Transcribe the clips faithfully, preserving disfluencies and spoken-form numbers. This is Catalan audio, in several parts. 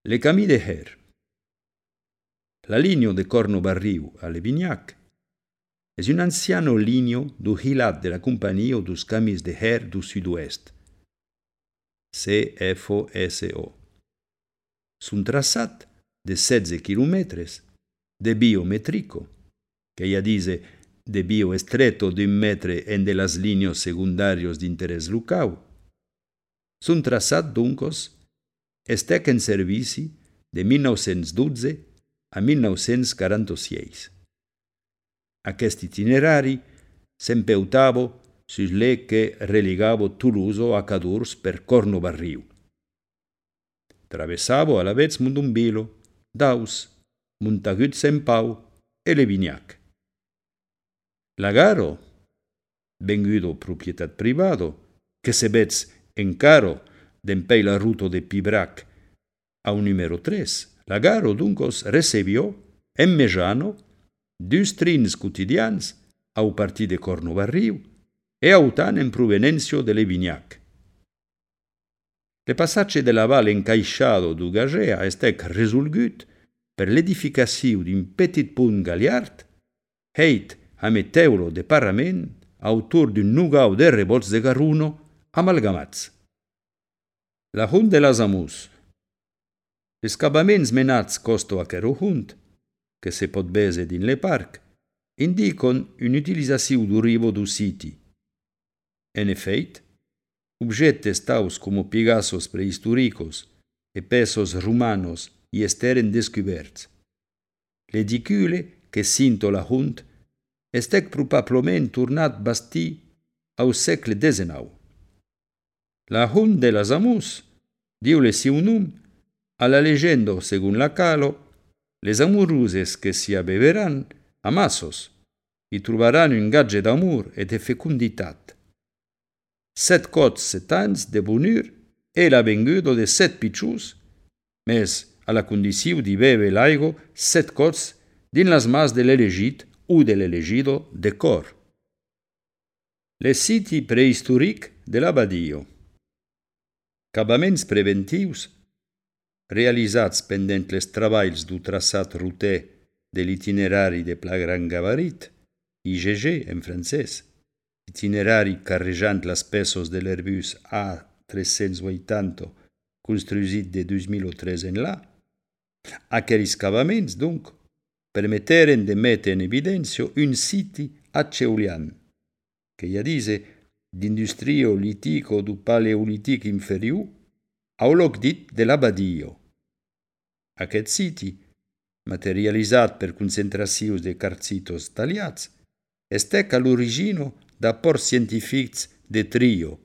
Le camí de Her. La linea de Cornobarriu a Levignac es un anciano linea du hilat de la compagnia dos camis de Her du sud-oest, C F O S O. Son traçat de setze quilòmetres de biometrico, que ya dice de bioestreto d'un metre en de las líneas secundarios d'interès local. Son traçat, duncos, estèc en servici de mil nou-cents dotze a mil nou-cents quaranta-sis. Aquest itinerari s'empeutava sus l'e que religava Toulouse a Cadurs per Cornobarriu. Travessava a la vez Mondombilo, Daus, Montagut Saint Pau e Levignac. La garo, vengudo propietat privado, que se vez encaro d'empei la ruta de Pibrac a un numero tres, la garo duncos recebió en Mejano dus trins quotidians au partir de Cornobarriu e autant en provenencio de Levignac. Le passatge de la val encaixado du Gagea estec resolgut per l'edificació d'un petit punt galiard, heit a meteulo de parament autour d'un nugau de rebots de garuno amalgamats. La hunt de las amus. Les cabaments menats costo aquero hunt, que se pot vese din le parc, indicon un'utilizzació du rivo du siti. En efeit, objetes taus como pigassos prehistóricos e pesos romanos i esteren descoberts. L'edicule que cinto la hunt estec probablement tornat bastí au segle dezenau. La hunt de las amus diu le siu nom a la legenda segun la calo les amoruses que si abeveran a massos i trobaran un gatge d'amor e de fecunditat. Set cots set ans de bonur e la venguda de set piccius, mes a la condició de bebe l'aigo set cots din las mas de l'elegit o de l'elegido de cor. Le siti prehistòric de l'abadio. Cabaments preventius realitzats pendent les treballs du traçat roter de l'itinerari de pla gran gabarit, I G G en francès, itinerari carrejant las pesos de l'Airbus A tres-cents vuitanta construït de dos mil tres en là. Aquells cabaments, donc, permeteren de metre en evidència un siti acheulian, que ja dice d'industrio litico du paleolitic inferior au loc dit de l'abadio. Aquest siti, materialitzat per concentracions de quartzitos taliats, estec a l'origine d'aports científics de trio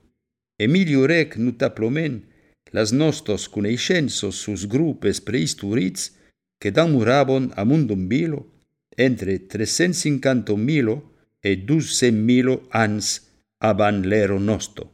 e millorèc notablement las nostres coneixences sus grupes prehistòrics que demoraven a Mondombilo entre tres-cents cinquanta mil e dos-cents mil anys abans l'era nostra.